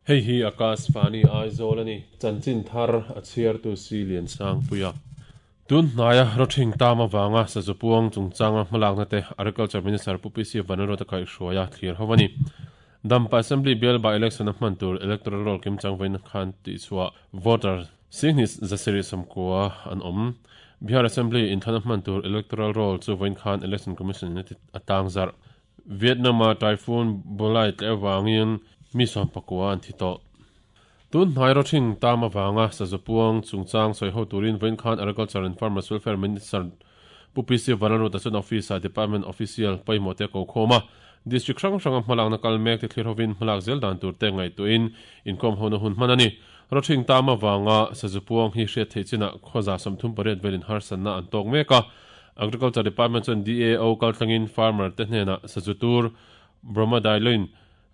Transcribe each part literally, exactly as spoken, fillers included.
Hei hi Akashvani Aizawl ani chanchin thar a chhiartu si lian sang puia. Tun hnaia rawthing tam awanga sazupuang chungchanga hmalakna te Agriculture Minister Pu P C Vanlalruata kaihhruaia thlir ho ani. Dampa Assembly bial by election a hman tur electoral roll kim chang vein khan ti chhuah voter singhni zasiri samkua an awm. Bihar Assembly inthlan a hman tur electoral roll chu vein khan Election Commission in atang zar. Vietnam a typhoon Bulai tle awangin mi sawm pakua an thi tawh. Tun hnai rawthing tam awanga sazupuang chungchang sawi ho turin vein khan Agriculture and Farmers Welfare Minister Pu P C Vanlalruata chuan office a department official pawimawh te ko khawm a. District hrang hranga hmalakna kal mek te thlir hovin hmalak zel dan tur te ngaihtuahin inkhawm hona hun hman ani. Rawthing tam awanga sazupuang hi hriat theih chinah khawza sawmthum pariat velin harsatna an tawk mek a. Agriculture Department chuan D A O kaltlangin farmer te hnenah sazu tur bromadiline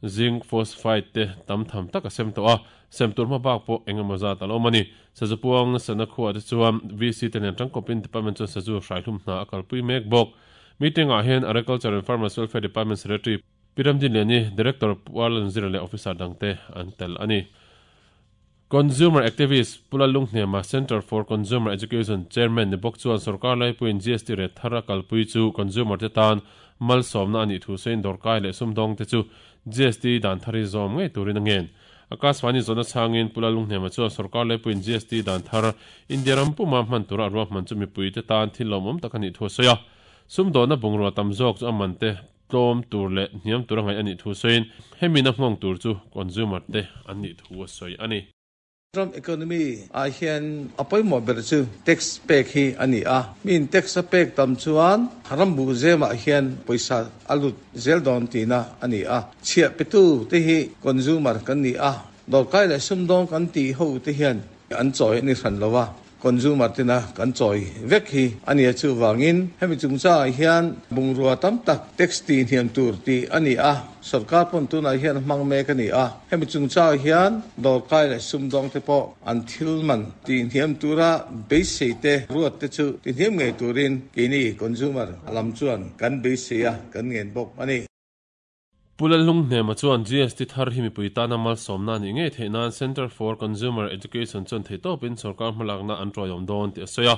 zinc phosphide te tam tham tak a sem tawh a. Sem tur hma bak pawh engemaw zat a lo awm ani. Sazupuang sana khuah te chuan V C te nen tangkawpin department chuan sazu hraihlum hna a kalpui mek bawk. Meeting ah hian Agriculture and Farmers Welfare Department Secretary Piramdin Liani, Director Pualan Zira leh Officer dangte an tel ani. Consumer Activist Pula Lunghnema Center for Consumer Education Chairman ni bawk chuan sarkar laipuiin G S T re thar a kalpui chu consumer te tan malsawmna ani thu sein dawrkai leh sumdawng te chu G S T dan thari zawm ngei turin a ngen. Akashvani zawna changin Pula Lunghnema chuan sarkar laipuiin G S T dan thar India ram puma hman tura ruah hman chu mipui te tan thil lawmawm tak ani thu sawi a. Sumdawna bungrua tam zawk chu a man te tlawm tur leh hniam tur a ngaih ani thu sawiin hemi na hmawng tur chu consumer te an nih thu a sawi ani. Ram economy a hian apoi ber chu tax pek hi ani a min tax a pek tam chuan rambu zema hian poisa alut zel don tina ani a chhia petu te hi consumer kan ni a dorkai le sumdong kan ti ho te hian an choi ni hran lowa consumer tina kan choi vek hi ani chu wangin hemi chungcha hian bungrua tam tak tax ti hian tur ti ani a sarkar pon tuna hian hmang mek ani a hemi chungcha hian dorkai le sumdong te po an thilman ti hiam tura beisei te ruat te chu ti hiam ngei turin kini consumer alam chuan kan beisei a kan ngen bawk ani. Pula Lunghnema chuan G S T thar hi mipui tana malsawmna ni ngei theih nan Center for Consumer Education chuan thei tawpin sarkar hmalakna an tawihawm dawn tih a sawi a.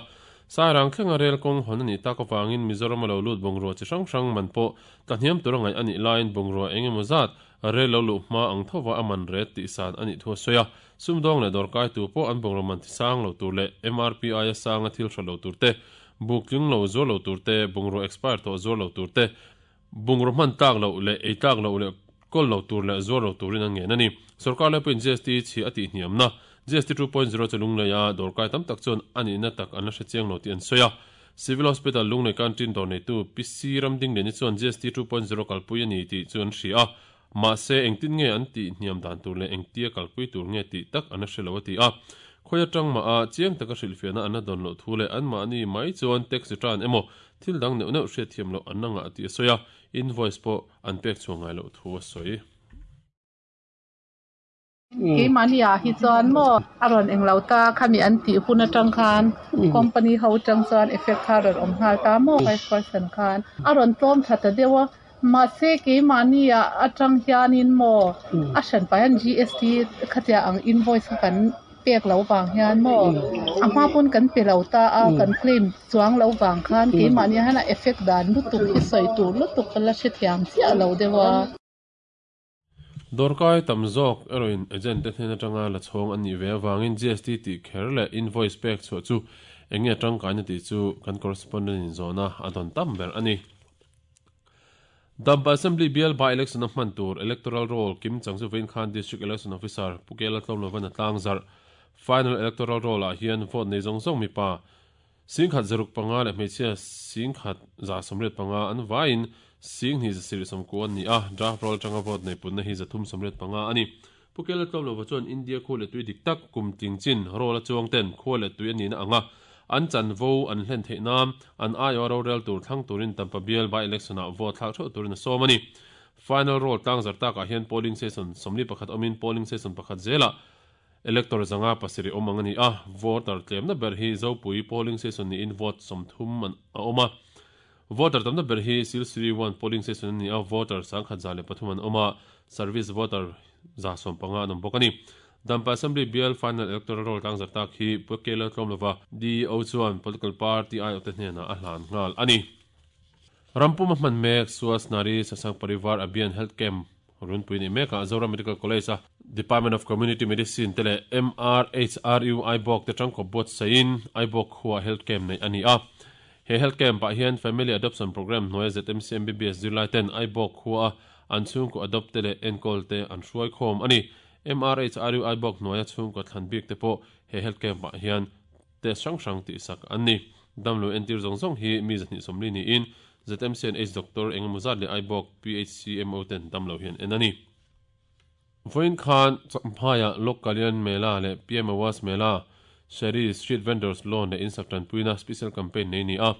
Sairang thlenga rel kawng hawn ani tak awangin Mizoram a lo lut bungrua chi hrang hrang man pawh tlahniam tur a ngaih anih laiin bungrua engemaw zat rel lo luh hma ang thova a man ret tih san anih thu a sawi a. Sumdawng leh dawrkai tu pawh an bungrua man ti sang lo tur leh M R P I a sang a thil hra lo tur te, buk tling lo zuar lo tur te, bungrua expire tawh zuar lo tur te, bungrua hman tlak lo leh ei tlak lo leh kol lo tur leh zuar lo turin an ngen ani. Sarkar laipuiin G S T chi a tih hniamna G S T two point zero chu lunglei a dawrkai tam tak chuan ani na tak an la hre chiang lo tih an sawi a. Civil Hospital lunglei canteen dawr neitu P C Ramding Liani chuan G S T two point zero kalpui ani tih chu an hria a. Mahse engtin nge an tih hniam dan tur leh engtia kalpui tur nge tih tak an la hre lo a ti a. Khawia tang ma a chiang taka hrilhfiahna an la dawn loh thu leh an mahni mai chuan tax return emaw thil dang neuh neuh hriat thiam loh an la ngah tih a sawi a. Invoice pawh an pek chhuah ngai loh thu a sawi. Keimahni ah hi chuan maw a rawn englo ta khami an tih hun atang khan company ho tang chuan effect kha rawn awm nghal ta maw five percent khan a rawn tlawm tha ta deuh a. Mahse keimahni ah atang hianin maw a hran pai an G S T khatia ang invoice kha kan pek lo wang hian maw a hma pawn kan pe lo ta a kan claim chuang lo wang khan keimahni hian a effect dan lutuk hi sawi tur lutuk ka la hre thiam chiah lo deuh a. Dawrkai tam zawk erawhin agent te hnen atanga la chhawng an nih ve awangin G S T tih kher leh invoice pek chhuah chu enge tangkaina tih chu kan correspondent in zawna a dawn tam ber ani. Dampa Assembly bial by election a hman tur electoral roll kim chang chu vein khan District Election Officer Pukela Tlawmlovan a tlang zar. Final electoral roll ah hian vote nei zawng zawng mipa singkhat zaruk panga leh hmeichhia singkhat za sawmriat panga an vaiin singhni zasiri sawmku an ni a. Draft roll tanga vote nei punna hi zathum sawmriat panga ani. Pukela Tlawmlova chuan India khu leh tui dik tak kum ting chin roll a chuang ten khu leh tui ani na anga an chan vo an hlen theih nam an aio ro rel tur thlang turin Tampa bial by election ah vote thlak theuh turin a sawm ani. Final roll tlang zar tak ah hian polling station sawmli pakhat awmin polling station pakhat zela elector zanga pasiri awm ang ani a. Voter tlemna ber hi Zopui polling station ni in vote sawmthum an a awm a. Voter tamna ber hi Silsiri one polling station ni a voter sangkhat za leh pathum an awm a. Service voter za som panga an awm bawk a ni. Dampa Assembly bial final electoral roll tlang zarh tak hi Pu Kela Tlawmlova D O chuan political party aiawh te hnenah a hlan nghal a ni. Rampum a hman mek Suas Nari Sasang Parivar Abhiyan Health Camp runpui ni mekah Zoram Medical College a Department of Community Medicine te leh M R H R U Aibawk te tangkawp buatsaihin Aibawk khua health camp neih a ni a. He health camp ah hian Family Adoption Program hnuaia Z M C M B B S zirlai ten Aibawk khua an chhungkaw adopt te leh enkawl te an hruai khawm a ni. M R H R U Aibawk hnuaia chhungkaw thlan bik te pawh he health camp ah hian test hrang hrang tihsak an ni. Damlo entir zawng zawng hi mi zahnih sawmli niin Z M C N H Doctor engemaw zat leh Aibawk P H C M O ten damlo hian en a ni. Vawiin khan Champhaiah Lok Kalyan Mela leh P M Awas Mela Sheri Street Vendors Loan leh Insak tanpuina special campaign nei ni a.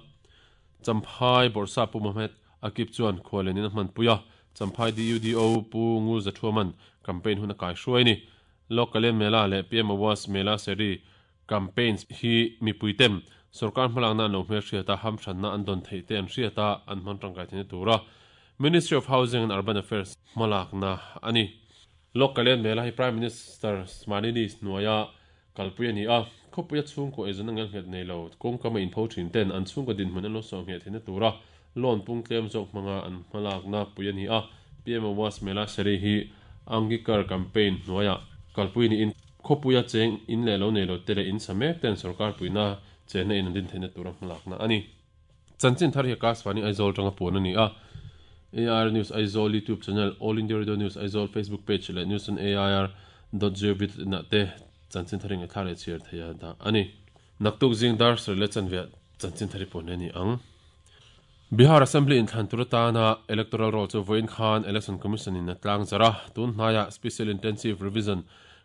Champhai Bawrhsa Pu Mohamed Akip chuan khualin a hmanpui a. Champhai D U D O Pu Ngur Zathuaman campaign hun a kai hruai ni. Lok Kalyan Mela leh P M Awas Mela Sheri campaigns hi mipui tem sarkar hmalakna an lo hmel hriata hamthanna an dawn theih te an hriata an hman tangkai theihna tura Ministry of Housing and Urban Affairs hmalakna a ni. Lok Kalyan Mela hi Prime Minister Smanini hnuaia kalpui a ni a. Khawpuia chhungkaw eizawn a ngel nghet nei lo kawngkam a inpho thin ten an chhungkaw dinhmun an lo saw nghet theihna tura loan pung tlem zawk hmanga an hmalakna pui a ni a. P M Awas Mela Sheri hi Angikar campaign hnuaia kalpui niin khawpuia cheng in leh lo nei lo te leh in sa mek ten sarkar puina chenna in an din theihna tura hmalakna a ni. Chanchin thar hi Akashvani Aizawl tanga puan a ni a. A I R News Aizawl YouTube channel, All India Radio News Aizawl Facebook page leh news on A I R dot gov dot in ah te chanchin thar inge thla leh chhiar theih a dah a ni. Naktuk zing dar sarih leh chanve chanchin thar hi puan a ni ang. Bihar Assembly in thlan tur atana electoral roll chu vawiin khan Election Commission in a tlang zarh a. Tun hnaiah Special Intensive Revision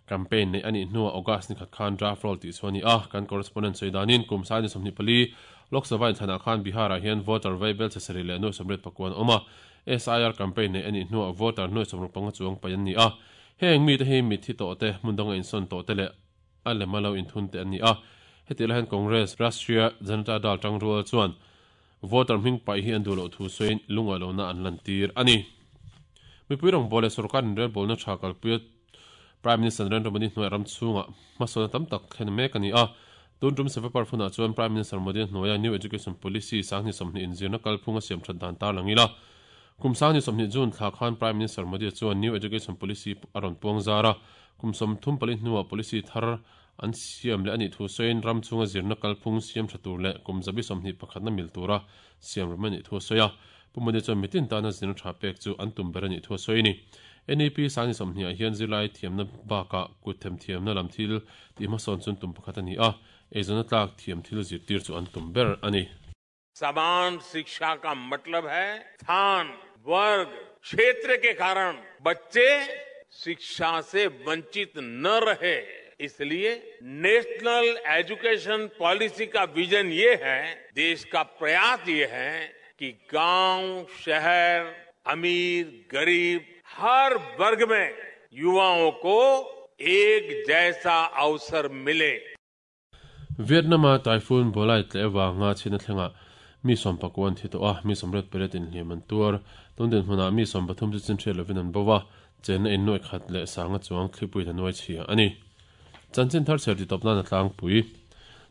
campaign nei a nih hnuah August ni khat khan draft roll tih chu a ni a. Kan correspondent sawi danin kum sai ni sawmhnih pali Lok Sabha in thlanah khan Bihar ah hian voter vaibel chesarih leh nuai sawmriat pakuan awm a. S I R campaign nei a nih hnuah voter nuai sawmruk panga chuang paih an ni a. Heng mi te hi mithi tawh te, hmun danga insawn tawh te leh a lema lo inthun te an ni a. Heti lai hian Congress, Rashtriya Janata Dal tangrual chuan voter hming paih hi an duh loh thu sawiin lungaih lohna an lan tir a ni. Mipui rawng bawl leh sarkar inrelbawlna tha kalpuia Prime Minister Narendra Modi hnuai ram chhungah hmasawn tam tak thlen mek a ni a. Tun tum Sevapar hunah chuan Prime Minister Modi hnuaia New Education Policy sangni sawmhnih inzirna kalphung a siam that dan tar lang ila. Kum sangni sawmhnih June thla khan Prime Minister Modi chuan New Education Policy a rawn puang zar a. Kum sawmthum pali hnuah policy thar an siam leh a nih thu sawiin ram chhunga zirna kalphung siam tha tur leh kum zabi sawmhnih pakhatna mil tura siam ram a nih thu a sawi a. Pu Modi chuan mitin tana zirna tha pek chu an tum ber a nih thu a sawi ni. N E P sangni sawmhnih ah hian zirlai thiamna bakah kut them thiamna lam thil tih hmasawn chun tum pakhat a ni a. Eizawn tlak thiam thil zirtir chu an tum ber a ni. समान शिक्षा का मतलब है स्थान, वर्ग, क्षेत्र के कारण बच्चे शिक्षा से वंचित न रहे। इसलिए national education policy का विजन ये है, देश का प्रयास ये है कि गांव, शहर, अमीर, गरीब, हर वर्ग में युवाओं को एक जैसा अवसर मिले। Vietnam a typhoon Bolai tle wanga china thlenga mi som pakuan thi to a mi som ret peret in hliam an tuar tun hmuna mi som pathum chu chin thre lovin an bawa chen in noi khat le sanga chuang thlipui na noi chhia ani chanchin thar cher ti topna na tlang pui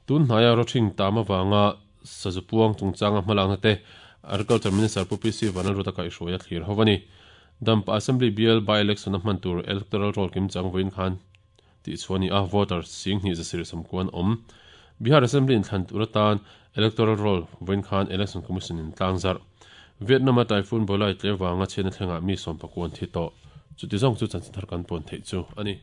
tun hnaya ro thing tama wanga sazupuang chungchanga hmalangna te Agriculture Minister Pu P C Vanlalruata kai hruaia thlir hovani Dampa Assembly bial by election a hman tur electoral roll kim chang voin khan ti chuani a voter sing hi zasir sam kuan om Bihar Assembly in thlan turatan electoral roll voin khan Election Commission in tlangzar Vietnam a typhoon Bolai tle wanga chena thlenga mi som pakuan thi to chuti zong chu chanchin thar kan pon thei chu ani.